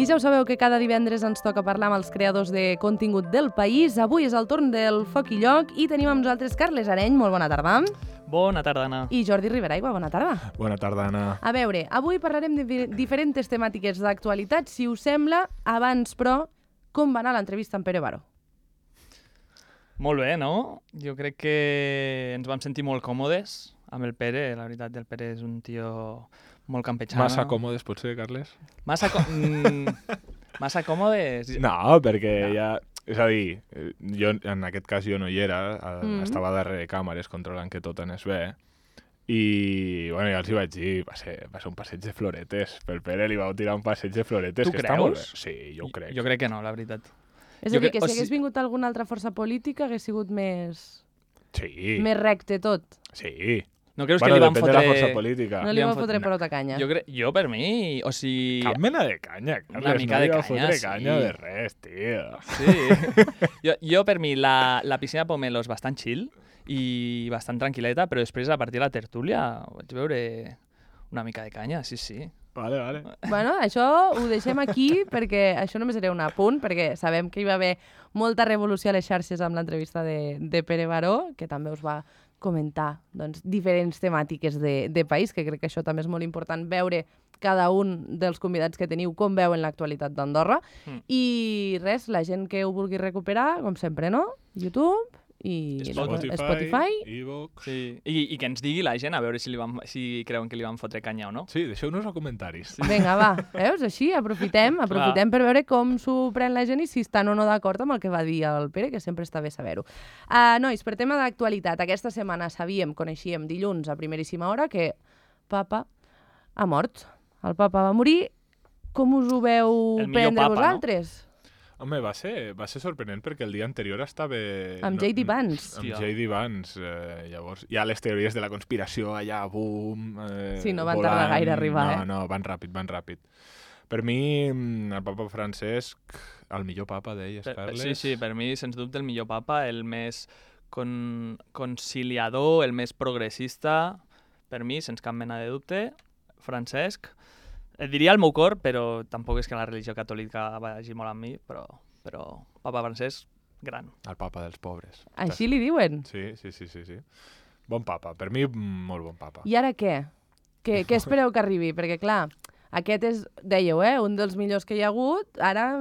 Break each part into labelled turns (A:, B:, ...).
A: I ja ho sabeu que cada divendres ens toca parlar amb els creadors de contingut del país. Avui és el torn del Foc i Lloc i tenim amb nosaltres Carles Areny, molt bona tarda.
B: Bona tarda, Anna.
A: I Jordi Riberaigua, bona tarda.
C: Bona tarda, Anna.
A: A veure, avui parlarem de diferents temàtiques d'actualitat. Si us sembla, abans, però, com va anar l'entrevista amb Pere Baró?
B: Molt bé, no? Jo crec que ens vam sentir molt còmodes amb el Pere. La veritat, el Pere és un tio molt campechano.
C: Massa còmodes, potser, Carles?
B: Massa còmodes?
C: No, perquè ja... És a dir, jo, en aquest cas jo no hi era, estava darrere càmeres controlant que tot anés bé, i bueno, ja els hi vaig dir, va ser un passeig de floretes. Pel Pere li vau tirar un passeig de floretes,
B: tu
C: que
B: creus?
C: Està molt bé. Sí, jo ho crec.
B: Jo crec que no, la veritat.
A: És a dir, que si hagués vingut alguna altra força política hagués sigut més...
C: Sí.
A: Més recte tot.
C: Sí.
B: No creus
C: Bueno,
B: que li van
C: depèn
B: fotre...
C: de la força política.
A: No li van fotre pelota canya.
B: Jo per mi, o sigui...
C: Cap mena de canya, Carles.
B: Una mica
C: no
B: de
C: li vau
B: canya,
C: fotre
B: sí.
C: canya de res, tio.
B: Sí. jo per mi, la piscina Pomelo és bastant chill i bastant tranquil·leta, però després, a partir de la tertúlia, vaig veure una mica de canya, sí, sí.
C: Vale.
A: Bueno, això ho deixem aquí perquè això només era un apunt, perquè sabem que hi va haver molta revolució a les xarxes amb l'entrevista de Pere Baró, que també us va comentar doncs, diferents temàtiques de país, que crec que això també és molt important, veure cada un dels convidats que teniu com veuen l'actualitat d'Andorra. I res, la gent que ho vulgui recuperar, com sempre, no? YouTube i Spotify.
C: iVoox...
B: Sí. I que ens digui la gent a veure si creuen que li van fotre canya o no.
C: Sí, deixeu-nos a comentaris.
A: Sí. Vinga, va, veus? Així aprofitem per veure com s'ho pren la gent i si estan o no d'acord amb el que va dir el Pere, que sempre està bé saber-ho. Nois, per tema d'actualitat, aquesta setmana coneixíem dilluns a primeríssima hora que Papa ha mort. El Papa va morir. Com us ho veu prendre vosaltres?
B: No?
C: Home, va ser sorprenent perquè el dia anterior estava...
A: Amb J.D. Vance.
C: Amb J.D. Vance. Llavors, hi ha les teories de la conspiració allà, boom...
A: Sí, no van tardar gaire a arribar,
C: No, van ràpid. Per mi, el papa Francesc, el millor papa, deies, Carles?
B: Sí, per mi, sens dubte, el millor papa, el més conciliador, el més progressista, per mi, sense cap mena de dubte, Francesc. Et diria el meu cor, però tampoc és que la religió catòlica vagi molt amb mi, però Papa Francesc, gran.
C: El papa dels pobres.
A: Així li diuen?
C: Sí. Bon papa, per mi molt bon papa.
A: I ara què? Què espereu que arribi? Perquè, clar, aquest és, dèieu, un dels millors que hi ha hagut. Ara,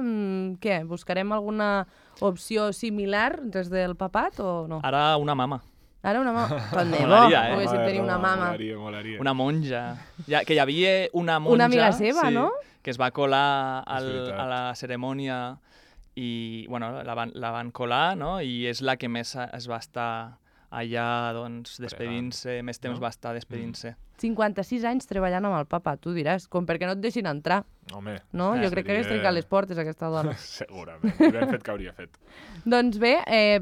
A: què? Buscarem alguna opció similar des del papat o no?
B: Ara una mama.
A: Ara una mama. Tant de bo,
B: Molaria,
A: poguéssim tenir una mama.
C: Molaria.
B: Una monja. Que hi havia una monja...
A: Una amiga seva, no?
B: Que es va colar a la cerimònia i, bueno, la van colar, no? I és la que més es va estar allà, doncs, despedint-se, més temps va estar despedint-se.
A: 56 anys treballant amb el papa, tu diràs, com perquè no et deixin entrar.
C: Home.
A: No? Jo crec que hagués trencat les portes, aquesta dona.
C: Segurament. I ben fet que hauria fet.
A: Doncs bé,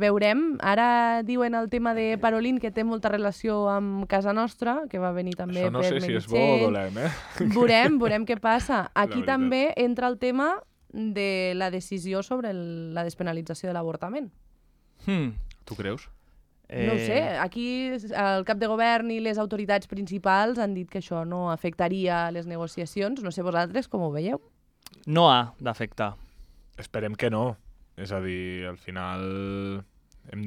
A: veurem. Ara diuen el tema de Parolin, que té molta relació amb casa nostra, que va venir també
C: Això no
A: per
C: sé
A: Meritxell.
C: si és bo o dolent,
A: Veurem què passa. Aquí també entra el tema de la decisió sobre la despenalització de l'avortament.
C: Tu creus?
A: No ho sé, aquí el cap de govern i les autoritats principals han dit que això no afectaria les negociacions. No sé vosaltres com ho veieu.
B: No ha d'afectar.
C: Esperem que no. És a dir, al final...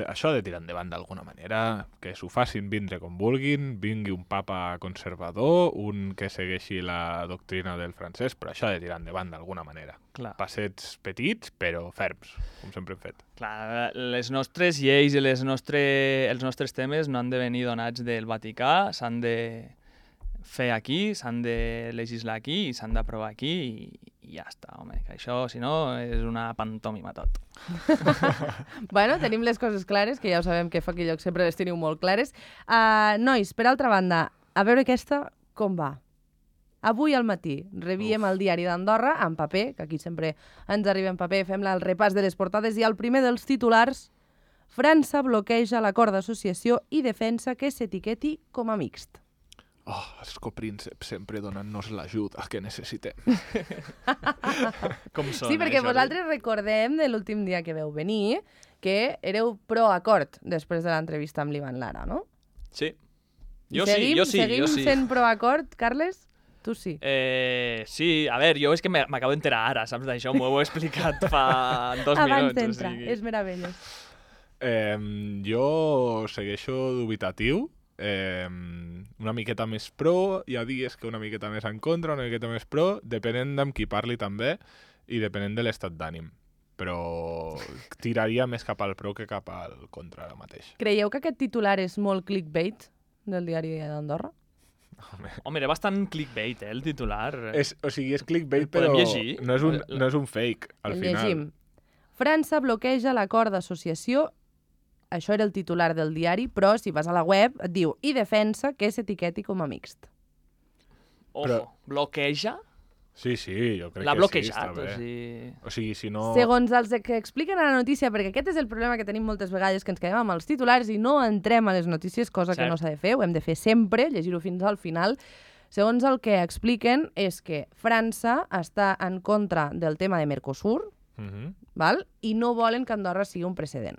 C: Això ha de tirar endavant d'alguna manera, que s'ho facin vindre com vulguin, vingui un papa conservador, un que segueixi la doctrina del francès, però això ha de tirar endavant d'alguna manera.
B: Clar.
C: Passets petits, però ferms, com sempre hem fet.
B: Clar, les nostres lleis i els nostres temes no han de venir donats del Vaticà, s'han de fer aquí, s'han de legislar aquí, s'han d'aprovar aquí i ja està, home, que això, si no, és una pantòmima tot.
A: Bueno, tenim les coses clares, que ja ho sabem que Foc i Lloc sempre les teniu molt clares. Nois, per altra banda, a veure aquesta com va. Avui al matí revíem el diari d'Andorra en paper, que aquí sempre ens arriba en paper, fem el repàs de les portades, i el primer dels titulars: França bloqueja l'acord d'associació i defensa que s'etiqueti com a mixt.
C: Els coprínceps sempre donant-nos l'ajuda que necessitem.
B: Com sona,
A: Sí, perquè vosaltres recordem de l'últim dia que veu venir que éreu pro-acord després de l'entrevista amb l'Ivan Lara, no?
B: Sí. Jo sí.
A: Seguim sent pro-acord, Carles? Tu sí.
B: Sí, a veure, jo és que m'acabo d'enterar ara, saps d'això? M'ho heu explicat fa 2
A: Abans
B: minuts.
A: d'entrar, és meravellós.
C: Jo segueixo dubitatiu, una miqueta més pro, hi ha dies que una miqueta més en contra, una miqueta més pro, depenent d'amb qui parli també i depenent de l'estat d'ànim. Però tiraria més cap al pro que cap al contra ara mateix.
A: Creieu que aquest titular és molt clickbait del diari d'Andorra?
B: Home, era bastant clickbait, el titular.
C: És clickbait,
B: El podem
C: però
B: llegir?
C: no és un fake, al
A: El
C: final.
A: llegim. França bloqueja l'acord d'associació. Això era el titular del diari, però si vas a la web et diu i defensa que s'etiqueti com a mixt.
B: Ojo, bloqueja?
C: Sí, jo crec
B: L'ha
C: que
B: bloquejat,
C: sí, està bé. O sigui, si no...
A: Segons els que expliquen a la notícia, perquè aquest és el problema que tenim moltes vegades, que ens quedem amb els titulars i no entrem a les notícies, cosa que no s'ha de fer, ho hem de fer sempre, llegir-ho fins al final. Segons el que expliquen és que França està en contra del tema de Mercosur, val? I no volen que Andorra sigui un precedent.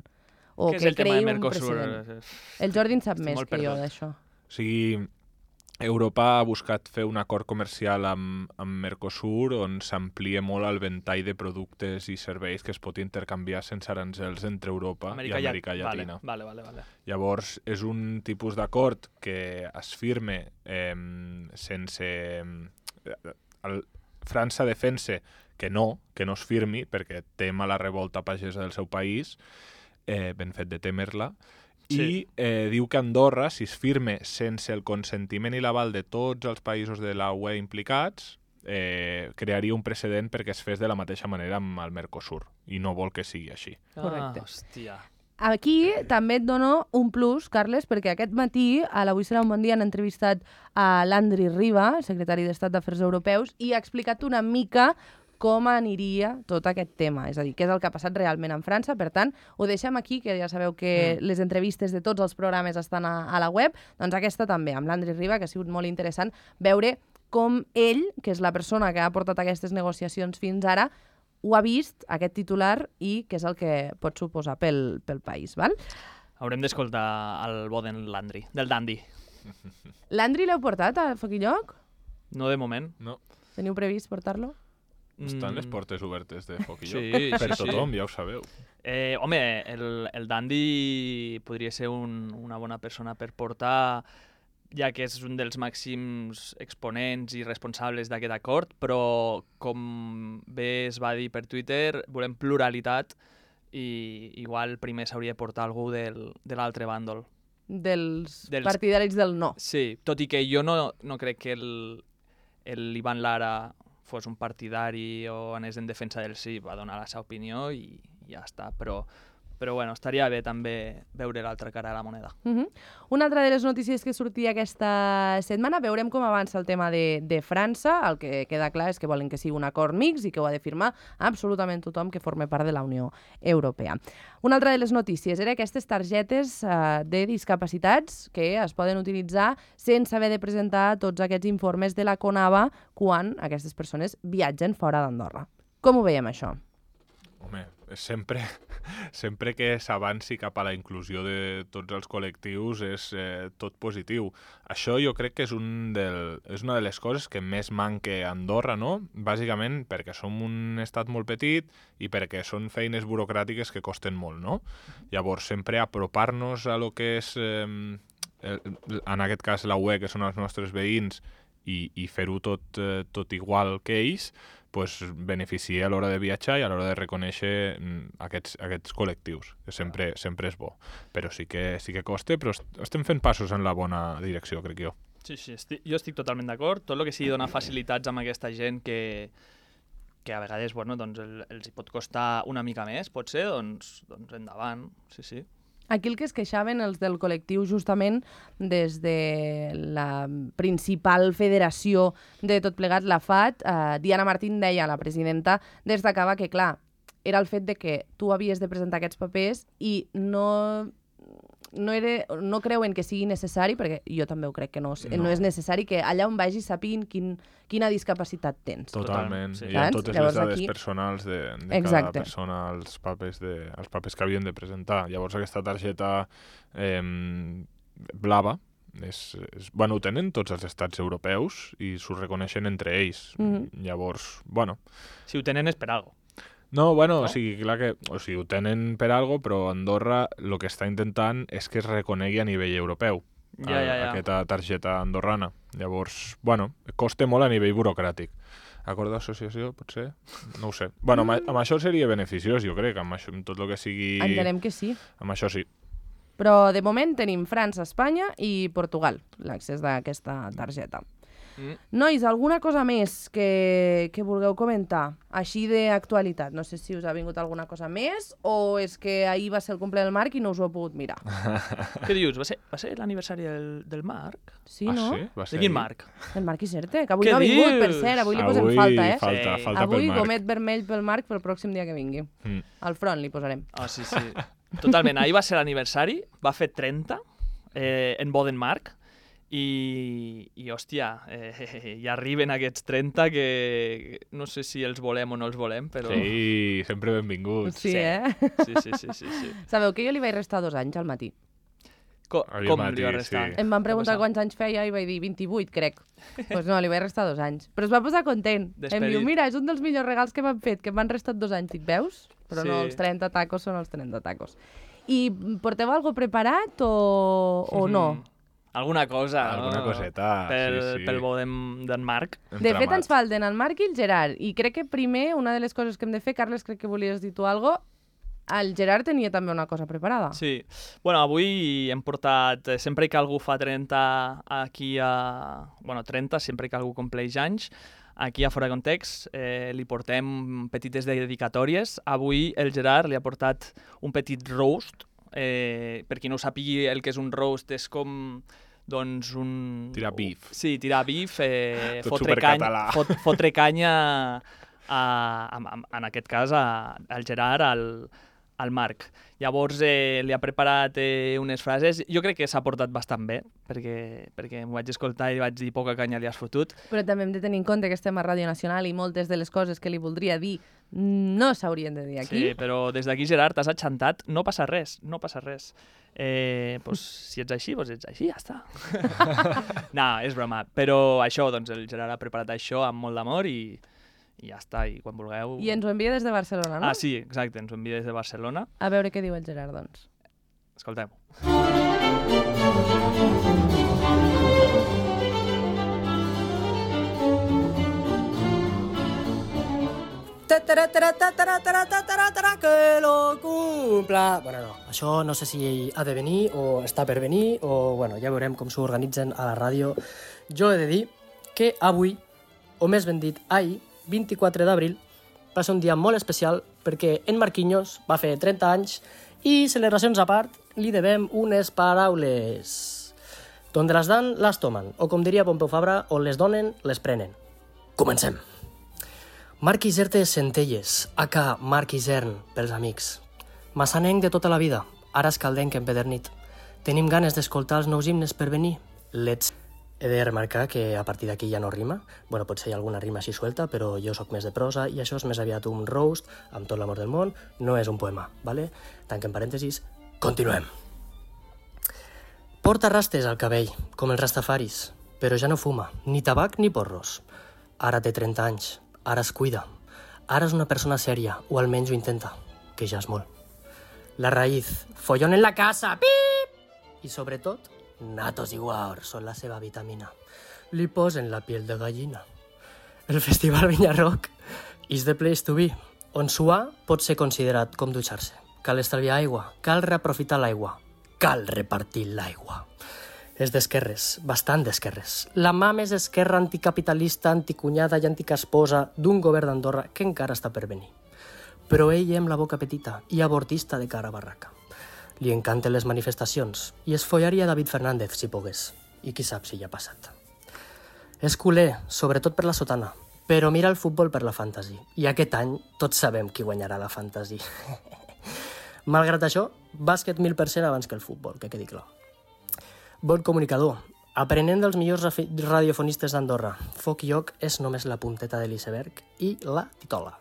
A: O
B: Què és
A: que
B: el tema
A: creï
B: de
A: un
B: Mercosur?
A: precedent. El Jordi en sap més
B: molt
A: que jo
B: perdut.
A: d'això.
C: O sigui, Europa ha buscat fer un acord comercial amb Mercosur on s'amplia molt el ventall de productes i serveis que es pot intercanviar sense arancels entre Europa i Amèrica Llatina.
B: Vale.
C: Llavors, és un tipus d'acord que es firma sense... França defensa que no es firmi perquè tema la revolta pagesa del seu país, ben fet de temer-la, i diu que Andorra, si es firme sense el consentiment i l'aval de tots els països de la UE implicats, crearia un precedent perquè es fes de la mateixa manera amb el Mercosur, i no vol que sigui així.
A: Correcte.
B: Hòstia.
A: Aquí també et dono un plus, Carles, perquè aquest matí a l'Avui serà un bon dia han entrevistat a Landry Riba, secretari d'Estat d'Afers Europeus, i ha explicat una mica com aniria tot aquest tema, és a dir, què és el que ha passat realment en França. Per tant, ho deixem aquí, que ja sabeu que les entrevistes de tots els programes estan a la web, doncs aquesta també, amb l'Andri Riba, que ha sigut molt interessant veure com ell, que és la persona que ha portat aquestes negociacions fins ara, ho ha vist, aquest titular, i què és el que pot suposar pel país, val?
B: Haurem d'escoltar el bo del Dandy.
A: L'Andri l'heu portat a Foc i Lloc?
B: No de moment.
C: No.
A: Teniu previst portar-lo?
C: Estan les portes obertes de Foc i Lloc.
B: Sí,
C: per tothom, ja ho sabeu.
B: Home, el Dandy podria ser una bona persona per portar, ja que és un dels màxims exponents i responsables d'aquest acord, però com bé es va dir per Twitter, volem pluralitat i igual primer s'hauria de portar algú de l'altre bàndol.
A: Dels partidaris del no.
B: Sí, tot i que jo no crec que l'Ivan Lara fos un partidari o anés en defensa del sí, va donar la seva opinió i ja està, però bueno, estaria bé també veure l'altra cara de la moneda.
A: Una altra de les notícies que sortia aquesta setmana, veurem com avança el tema de França. El que queda clar és que volen que sigui un acord mixt i que ho ha de firmar absolutament tothom que forma part de la Unió Europea. Una altra de les notícies era aquestes targetes de discapacitats que es poden utilitzar sense haver de presentar tots aquests informes de la CONAVA quan aquestes persones viatgen fora d'Andorra. Com ho veiem, això?
C: Home, sempre que s'avanci cap a la inclusió de tots els col·lectius és tot positiu. Això jo crec que és una de les coses que més manca a Andorra, no? Bàsicament perquè som un estat molt petit i perquè són feines burocràtiques que costen molt, no? Llavors, sempre apropar-nos a lo que és, en aquest cas, la UE, que són els nostres veïns, i fer-ho tot igual que ells, pues, beneficia a l'hora de viatjar i a l'hora de reconèixer aquests col·lectius, que sempre és bo. Però sí que costa, però estem fent passos en la bona direcció, crec jo.
B: Sí, jo estic totalment d'acord. Tot el que sigui donar facilitats amb aquesta gent que a vegades doncs, els hi pot costar una mica més, potser, doncs endavant, sí.
A: Aquí el que es queixaven els del col·lectiu justament des de la principal federació de tot plegat, la FAT, Diana Martín deia, la presidenta, destacava que, clar, era el fet de que tu havies de presentar aquests papers i no creuen que sigui necessari, perquè jo també ho crec que no és necessari, que allà on vagis sàpiguin quina discapacitat tens.
C: Totalment.
B: Sí.
C: Hi ha totes
A: Llavors,
C: les dades
A: aquí...
C: personals de
A: Exacte.
C: cada persona, els papers que havien de presentar. Llavors aquesta targeta blava Bueno, ho tenen tots els estats europeus i s'ho reconeixen entre ells. Llavors, bueno...
B: Si ho tenen és per algo.
C: No, bueno, o sigui, clar que... O sigui, ho tenen per algo, però Andorra el que està intentant és que es reconegui a nivell europeu. Aquesta targeta andorrana. Llavors, bueno, costa molt a nivell burocràtic. Acord d'associació, potser? No ho sé. Bueno, amb això seria beneficiós, jo crec, amb tot el que sigui...
A: Entenem que sí.
C: Amb això sí.
A: Però de moment tenim França, Espanya i Portugal, l'accés d'aquesta targeta. Nois, alguna cosa més que vulgueu comentar? Així d'actualitat. No sé si us ha vingut alguna cosa més o és que ahir va ser el cumple del Marc i no us ho heu pogut mirar.
B: Què dius? Va ser l'aniversari del Marc?
A: Sí, no?
C: Sí?
B: De quin Marc?
A: El Marc Iserte, que avui no ha vingut, per cert. Avui li posem falta, eh?
C: Falta
A: avui
C: pel Marc.
A: gomet vermell pel Marc pel pròxim dia que vingui. Al front li posarem.
B: Ah, sí. Totalment. Ahir va ser l'aniversari, va fer 30 en Boden Marc. I hòstia, ja arriben aquests 30 que no sé si els volem o no els volem, però...
C: Sí, sempre benvinguts.
A: Sí, eh?
B: Sí.
A: Sabeu que jo li vaig restar 2 anys al matí?
B: Com li va restar?
C: Sí.
A: Em van preguntar quants anys feia i vaig dir 28, crec. Doncs no, li vaig restar 2 anys. Però es va posar content. Em diu, mira, és un dels millors regals que m'han fet, que m'han restat 2 anys. Dic, veus? Però no, els 30 tacos són els 30 tacos. I porteu alguna cosa preparat o no?
B: Alguna cosa.
C: Alguna coseta, sí.
B: Pel bo d'en Marc.
A: De fet, ens falten el Marc i el Gerard. I crec que primer, una de les coses que hem de fer, Carles, crec que volies dir tu alguna cosa, el Gerard tenia també una cosa preparada.
B: Sí. Bueno, avui hem portat... Sempre que algú fa 30 aquí a... Bueno, 30, sempre que algú compleix anys, aquí a Fora de Context li portem petites dedicatòries. Avui el Gerard li ha portat un petit roast. Per qui no ho sàpigui, el que és un roast és com... Doncs un...
C: Tirar bif.
B: Sí, tirar bif,
C: Tot supercatalà.
B: fotre canya, en aquest cas, al Gerard, al Marc. Llavors li ha preparat unes frases. Jo crec que s'ha portat bastant bé, perquè m'ho vaig escoltar i vaig dir poca canya li has fotut.
A: Però també hem de tenir en compte que estem a Ràdio Nacional i moltes de les coses que li voldria dir no s'haurien de dir aquí.
B: Sí, però des d'aquí, Gerard, t'has achantat, no passa res. Pues, si ets així, doncs ets així, ja està. No, és broma. Però això, doncs el Gerard ha preparat això amb molt d'amor i ja està, i quan vulgueu...
A: I ens ho envia des de Barcelona, no?
B: Ah, sí, exacte, ens ho envia des de Barcelona.
A: A veure què diu el Gerard, doncs.
B: Escoltem-ho.
D: Que lo cumpla... Bueno, no, això no sé si ha de venir o està per venir o, bueno, ja veurem com s'ho organitzen a la ràdio. Jo he de dir que avui, o més ben dit, ahir, 24 d'abril, va ser un dia molt especial perquè en Marquinhos va fer 30 anys i, celebracions a part, li devem unes paraules. Donde les dan, les tomen, o com diria Pompeu Fabra, on les donen, les prenen. Comencem. Marc Iserte Centelles, aka Marc Isern, pels amics. Massanenc de tota la vida, ara escaldenc empedernit. Tenim ganes d'escoltar els nous himnes per venir? Let's... He de remarcar que a partir d'aquí ja no rima. Bueno, potser hi ha alguna rima així suelta, però jo sóc més de prosa i això és més aviat un roast, amb tot l'amor del món, no és un poema, ¿vale? Tanquem parèntesis, continuem. Porta rastes al cabell, com els rastafaris, però ja no fuma, ni tabac ni porros. Ara té 30 anys, ara es cuida, ara és una persona sèria, o almenys ho intenta, que ja és molt. La raïz, follón en la casa, pip! I sobretot, natos i guaors són la seva vitamina. Li posen la piel de gallina. El Festival Vinyarroc is the place to be, on suar pot ser considerat com dutxar-se. Cal estalviar aigua, cal reaprofitar l'aigua, cal repartir l'aigua. És d'esquerres, bastant d'esquerres. La mà més esquerra anticapitalista, anticunyada i anticasposa d'un govern d'Andorra que encara està per venir. Però ell amb la boca petita i abortista de cara a barraca. Li encanten les manifestacions i es follaria David Fernández si pogués. I qui sap si ja ha passat. És culer, sobretot per la sotana, però mira el futbol per la fantasy. I aquest any tots sabem qui guanyarà la fantasy. Malgrat això, bàsquet 1000% abans que el futbol, que quedi clar. Bon comunicador, aprenent dels millors radiofonistes d'Andorra. Foc i Oc és només la punteta de l'iceberg i la titola.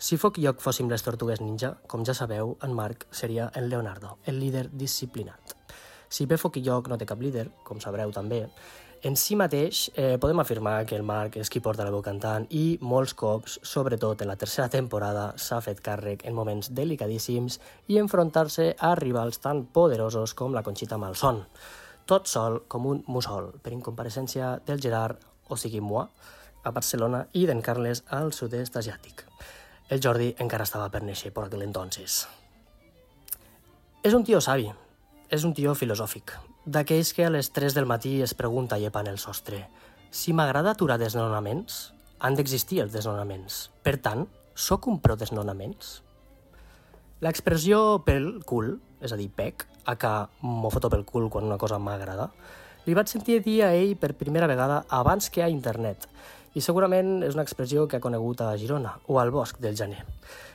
D: Si Foc i Oc fóssim les tortugues ninja, com ja sabeu, en Marc seria en Leonardo, el líder disciplinat. Si bé Foc i Lloc no té cap líder, com sabreu també, en si mateix podem afirmar que el Marc és qui porta la veu cantant i molts cops, sobretot en la tercera temporada, s'ha fet càrrec en moments delicadíssims i enfrontar-se a rivals tan poderosos com la Conxita Malson. Tot sol com un mussol, per incompareixència del Gerard, o sigui moi, a Barcelona i d'en Carles al sud-est asiàtic. El Jordi encara estava per néixer per aquell entonces. És un tio savi, és un tio filosòfic, d'aquells que a les 3 del matí es pregunta llepant el sostre si m'agrada aturar desnonaments, han d'existir els desnonaments. Per tant, sóc un pro desnonaments? L'expressió pel cul, és a dir, pec, aka m'ho foto pel cul quan una cosa m'agrada, li vaig sentir dir a ell per primera vegada abans que a internet, i segurament és una expressió que ha conegut a Girona o al Bosc del Gener.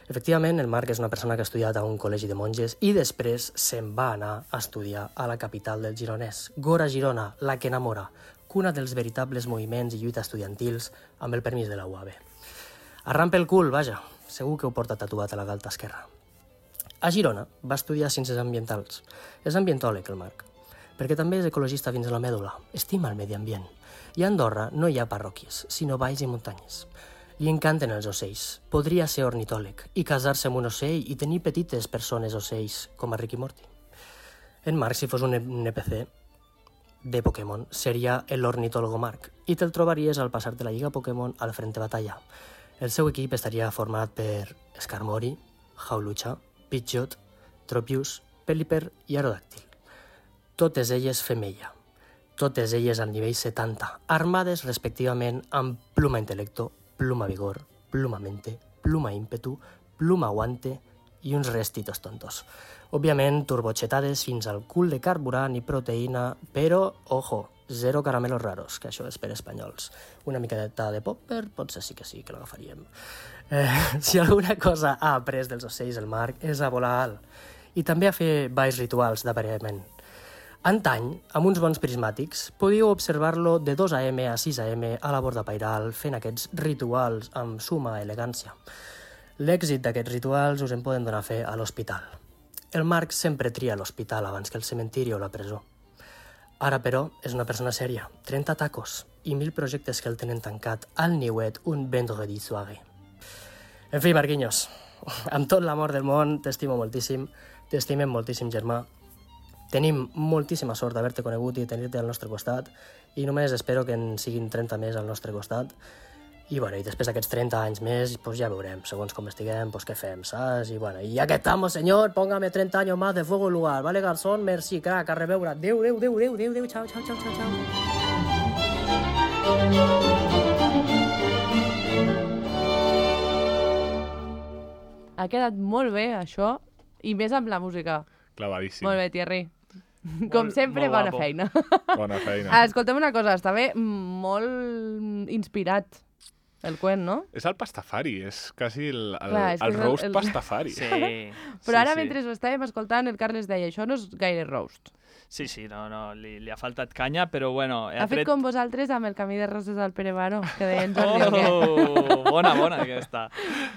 D: Efectivament, el Marc és una persona que ha estudiat a un col·legi de monges i després se'n va anar a estudiar a la capital del Gironès, Gora Girona, la que enamora, cuna dels veritables moviments i lluita estudiantils amb el permís de la UAB. Arran pel cul, vaja, segur que ho porta tatuat a la galta esquerra. A Girona va estudiar ciències ambientals. És ambientòleg, el Marc, perquè també és ecologista fins a la mèdula, estima el medi ambient. I a Andorra no hi ha parròquies, sinó valls i muntanyes. Li encanten els ocells. Podria ser ornitòleg i casar-se amb un ocell i tenir petites persones ocells, com a Rick i Morty. En Marc, si fos un NPC de Pokémon, seria l'ornitólogo Marc i te'l trobaries al passar de la Lliga Pokémon al Frente Batalla. El seu equip estaria format per Skarmory, Hawlucha, Pidgeot, Tropius, Pelipper i Aerodactyl. Totes elles femella. Totes elles al nivell 70, armades respectivament amb pluma intel·lecto, pluma vigor, pluma mente, pluma ímpetu, pluma guante i uns restitos tontos. Òbviament, turbochetades fins al cul de carburant i proteïna, però, ojo, zero caramelos raros, que això és per espanyols. Una miqueta de popper, potser sí que l'agafaríem. Si alguna cosa ha après dels ocells el Marc és a volar alt i també a fer balls rituals d'aparellament. Antany, amb uns bons prismàtics, podíeu observar-lo de 2 AM a 6 AM a la borda pairal fent aquests rituals amb suma elegància. L'èxit d'aquests rituals us en poden donar fe a l'hospital. El Marc sempre tria l'hospital abans que el cementiri o la presó. Ara, però, és una persona sèria, 30 tacos i 1000 projectes que el tenen tancat al niuet un vendredi soirée. En fi, Marquinhos, amb tot l'amor del món, t'estimo moltíssim, t'estimem moltíssim, germà. Tenim moltíssima sort d'haver-te conegut i tenir-te al nostre costat i només espero que en siguin 30 més al nostre costat. I després d'aquests 30 anys més, pues ja veurem, segons com estiguem, pues què fem, saps? I ya que estamos, señor, póngame 30 años más de fuego en lugar, ¿vale, garzón? Merci, crack, a reveure. Adéu, chao, chao, chao, chao, chao.
A: Ha quedat molt bé, això, i més amb la música.
C: Clavadíssim.
A: Molt bé, Thierry. Com sempre,
B: molt
A: bona
B: guapo.
A: feina.
C: Bona feina.
A: Escolta'm una cosa, està bé molt inspirat el cuent, no?
C: És el pastafari, és quasi el
A: Clar, és que és
C: roast
A: el-
C: pastafari.
B: Sí.
A: Però ara, mentre ho estàvem escoltant, el Carles deia, això no és gaire roast.
B: Sí, no, li ha faltat canya, però bueno...
A: Ha fet com vosaltres amb el camí de roses al Pere Baró, que deia en Jordi o què?
B: Oh, bona aquesta.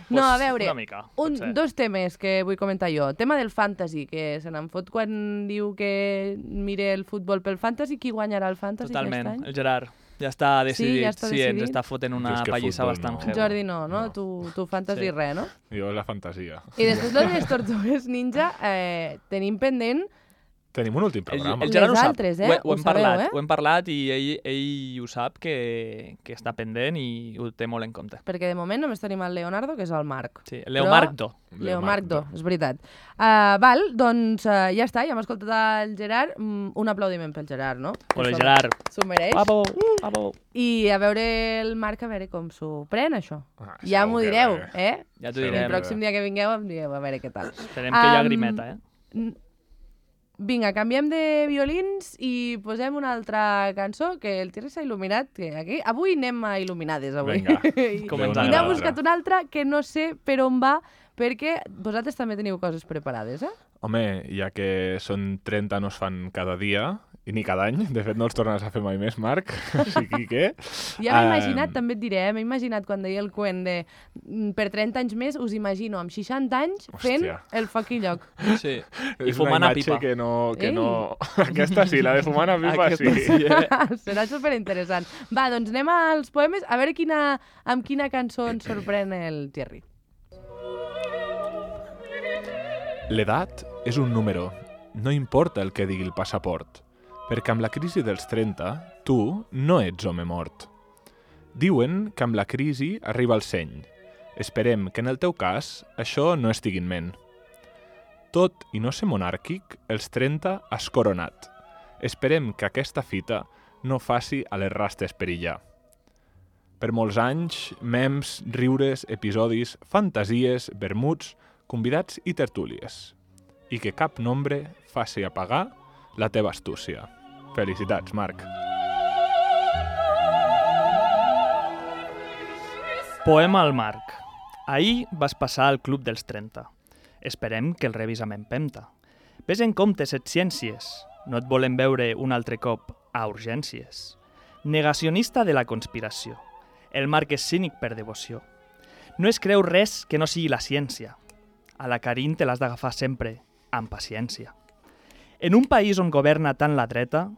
A: No, a veure,
B: Una mica, potser.
A: dos temes que vull comentar jo. Tema del fantasy, que se n'en fot quan diu que mire el futbol pel fantasy. Qui guanyarà el fantasy
B: Totalment,
A: aquest any?
B: el Gerard. Ja està decidit.
A: ja està
B: Sí, ens
A: decidit.
B: està fotent una
C: Jo és que
B: pallissa
C: futbol
B: bastant
C: no.
B: heavy.
A: Jordi no, no?
C: No.
A: Tu fantasy
B: Sí.
A: res, no?
C: Jo la fantasia.
A: I després lo de les Tortugues Ninja, tenim pendent
C: Tenim un últim programa.
B: El Gerard ho
A: Les
B: sap.
A: altres,
B: Ho hem
A: ho sabeu,
B: parlat,
A: eh?
B: ho hem parlat i ell ho sap que està pendent i ho té molt en compte.
A: perquè de moment només tenim el Leonardo, que és el Marc.
B: Sí, el Leomardo.
A: Leomardo, és veritat. Val, doncs ja està, ja hem escoltat el Gerard. Un aplaudiment pel Gerard, no?
B: Hola,
A: Això
B: Gerard.
A: S'ho mereix.
B: Bravo.
A: I a veure el Marc, a veure com s'ho pren, això.
C: Ah,
A: Ja
C: segur
A: m'ho
C: que
A: direu,
C: bé.
B: Ja t'ho
C: Sí,
A: El
B: direm.
A: pròxim dia que vingueu em digueu a veure què tal.
B: Esperem que hi ha grimeta, eh?
A: Vinga, canviem de violins i posem una altra cançó que el Thierry s'ha il·luminat. Que aquí, avui anem a il·luminades, avui.
C: Vinga.
A: I,
B: Com ens
A: I
B: agrada.
A: n'ha buscat una altra que no sé per on va, perquè vosaltres també teniu coses preparades, eh?
C: Home, ja que són 30 no es fan cada dia i ni cada any. De fet, no els tornes a fer mai més, Marc. Així que...
A: Ja m'he imaginat, també et diré, m'he imaginat quan deia el cuent de per 30 anys més, us imagino amb 60 anys fent el fuck i lloc.
B: Sí.
C: És
B: fumant
C: una
B: a pipa.
C: que no... Aquesta sí, la de fumant a pipa sí.
A: Serà superinteressant. Va, doncs anem als poemes, a veure amb quina cançó ens sorprèn el Thierry.
C: L'edat és un número. No importa el que digui el passaport. Perquè amb la crisi dels 30, tu no ets home mort. Diuen que amb la crisi arriba el seny. Esperem que en el teu cas això no estigui en ment. Tot i no ser monàrquic, els 30 has coronat. Esperem que aquesta fita no faci a les rastes perillar. Per molts anys, mems, riures, episodis, fantasies, vermuts, convidats i tertúlies. I que cap nombre faci apagar la teva astúcia. Felicitats, Marc.
B: Poema al Marc. Ahir vas passar al Club dels 30. Esperem que el rebis amb empenta. Ves en compte set ciències. No et volem veure un altre cop a urgències. Negacionista de la conspiració. El Marc és cínic per devoció. No es creu res que no sigui la ciència. A la Karin te l'has d'agafar sempre amb paciència. En un país on governa tant la dreta,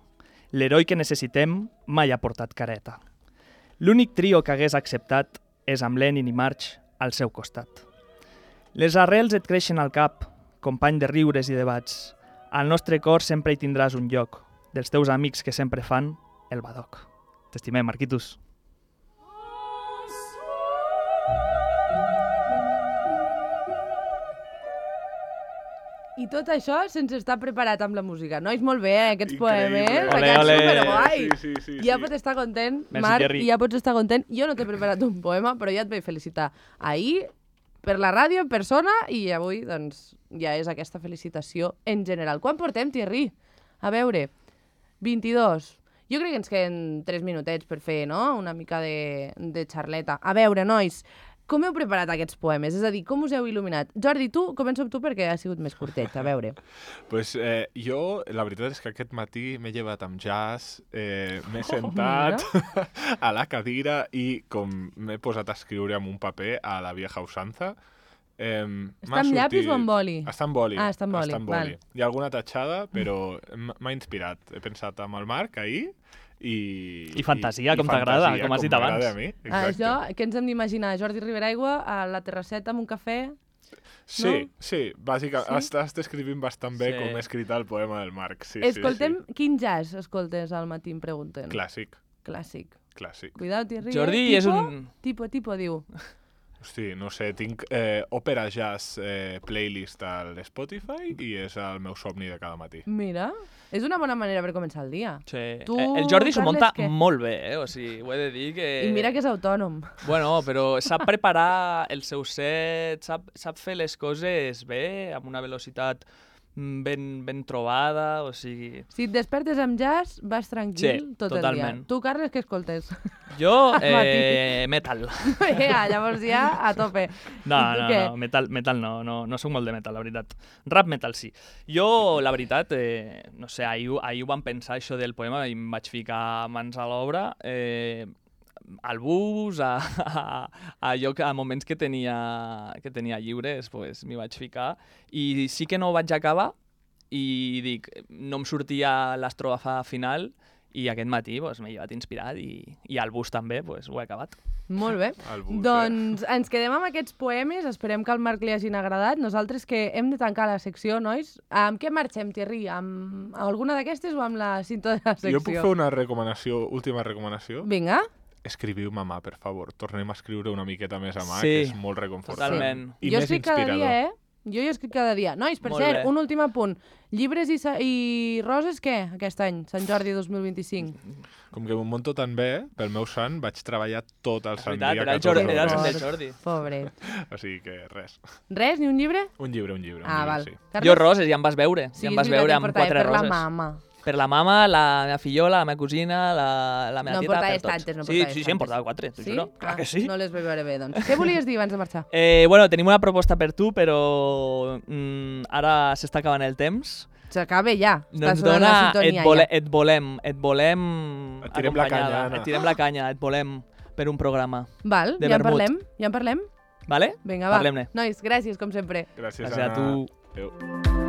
B: l'heroi que necessitem mai ha portat careta. L'únic trio que hagués acceptat és amb Lenin i Marx al seu costat. Les arrels et creixen al cap, company de riures i debats. Al nostre cor sempre hi tindràs un lloc, dels teus amics que sempre fan el badoc. T'estimem, Marquitos.
A: I tot això sense estar preparat amb la música. Nois, molt bé, aquests
C: Increïble.
A: poemes.
B: Ole,
A: Aquests
B: ole.
A: superguai.
C: Sí.
A: Ja pots estar content,
B: Merci,
A: Marc,
B: Thierry.
A: i ja pots estar content. Jo no t'he preparat un poema, però ja et vaig felicitar ahir per la ràdio, en persona, i avui, doncs, ja és aquesta felicitació en general. Quan portem, Thierry? A veure, 22. Jo crec que ens queden 3 minutets per fer, no?, una mica de xarleta. A veure, nois, com heu preparat aquests poemes? És a dir, com us heu il·luminat? Jordi, començo amb tu perquè ha sigut més curtet, a veure.
C: Pues jo, la veritat és que aquest matí m'he llevat amb jazz, m'he sentat a la cadira i com m'he posat a escriure amb un paper a la vieja usanza,
A: Està amb llapis o amb boli?
C: Està amb boli.
A: Ah, està amb boli, val.
C: Hi ha alguna tatxada, però m'ha inspirat. He pensat amb el Marc ahir i
B: fantasia, com t'agrada, com has dit abans.
C: m'agrada a mi, exacte.
A: Això, què ens hem d'imaginar? Jordi Riberaigua a la terrasseta amb un cafè?
C: Sí, bàsicament.
A: Sí?
C: Estàs descrivint bastant bé
B: Sí.
C: com he escrit el poema del Marc. Sí,
A: Escoltem, quin jazz escoltes al matí, em pregunten?
C: Clàssic.
A: Clàssic. Cuidado, Thierry.
B: Jordi és un...
A: Tipo, diu.
C: Hosti, no sé, tinc Opera Jazz playlist a l'Spotify i és el meu somni de cada matí.
A: Mira, és una bona manera per començar el dia.
B: Sí.
A: Tu,
B: El Jordi s'ho
A: Carles,
B: munta
A: què?
B: molt bé, O sigui, ho he de dir que...
A: I mira que és autònom.
B: Bueno, però sap preparar el seu set, sap fer les coses bé, amb una velocitat ben trobada, o sigui...
A: Si et despertes amb jazz, vas tranquil
B: Sí,
A: tot
B: totalment.
A: el dia. Tu, Carles, què escoltes?
B: Jo,
A: Al matí.
B: metal.
A: Llavors ja a tope.
B: No,
A: I tu què?
B: metal no soc molt de metal, la veritat. Rap metal sí. Jo, la veritat, no sé, ahir ho vam pensar això del poema i em vaig ficar mans a l'obra, al bus, a moments que tenia lliures, pues, m'hi vaig ficar. I sí que no ho vaig acabar i dic, no em sortia l'estrofa final i aquest matí pues, m'he llevat inspirat i al bus també pues, ho he acabat.
A: Molt bé.
C: Al bus,
A: Doncs ens quedem amb aquests poemes. Esperem que al Marc li hagin agradat. Nosaltres que hem de tancar la secció, nois. Amb què marxem, Thierry? Amb alguna d'aquestes o amb la cinta de la secció?
C: Jo puc fer una última recomanació?
A: Vinga.
C: Escriviu mamà, per favor. Tornem a escriure una miqueta més a mà,
B: Sí,
C: que és molt reconfortant.
B: totalment.
C: I
A: jo
C: més
A: escric cada
C: inspirador.
A: dia, Jo hi escric cada dia. Nois, per
B: Molt
A: cert,
B: bé.
A: un últim apunt. Llibres i roses, què, aquest any? Sant Jordi 2025.
C: Com que m'ho monto tan bé, pel meu sant vaig treballar tot el
B: És
C: sant
B: veritat,
C: dia.
B: era el
C: 14
B: Jordi, era el sant
C: hores.
B: del Jordi.
A: Pobret.
C: O sigui que res.
A: Res, ni un llibre?
C: Un llibre.
A: Ah,
C: un llibre,
A: val.
C: sí.
A: Carles?
B: Jo roses, ja em vas veure.
A: Sí,
B: ja em
A: és
B: vas
A: veritat,
B: veure
A: em
B: amb
A: portava
B: 4
A: per
B: roses.
A: la mama.
B: Per la mama, la meva fillola, la meva cosina, la meva
A: No
B: tieta,
A: portaves
B: per tots.
A: tantes, no
B: Sí,
A: portaves
B: sí, em
A: tantes.
B: portava 4, t'ho
A: Sí?
B: juro. Clar que sí.
A: No les vaig veure bé, doncs. Què volies dir abans de marxar?
B: Bueno, tenim una proposta per tu, però ara s'està acabant el temps.
A: s'acabe ja.
B: No ens
A: sonant
B: dona...
A: la sintonia
B: Et volem
C: Et tirem la
B: acompanyada.
C: canya, Anna.
B: Et tirem la canya, et volem per un programa.
A: Val,
B: de
A: ja en
B: vermut.
A: parlem?
B: Vale?
A: Vinga, va.
B: Parlem-ne.
A: Nois, gràcies, com sempre.
C: Gràcies,
B: Gràcies a
C: Anna.
B: tu.
C: Adéu.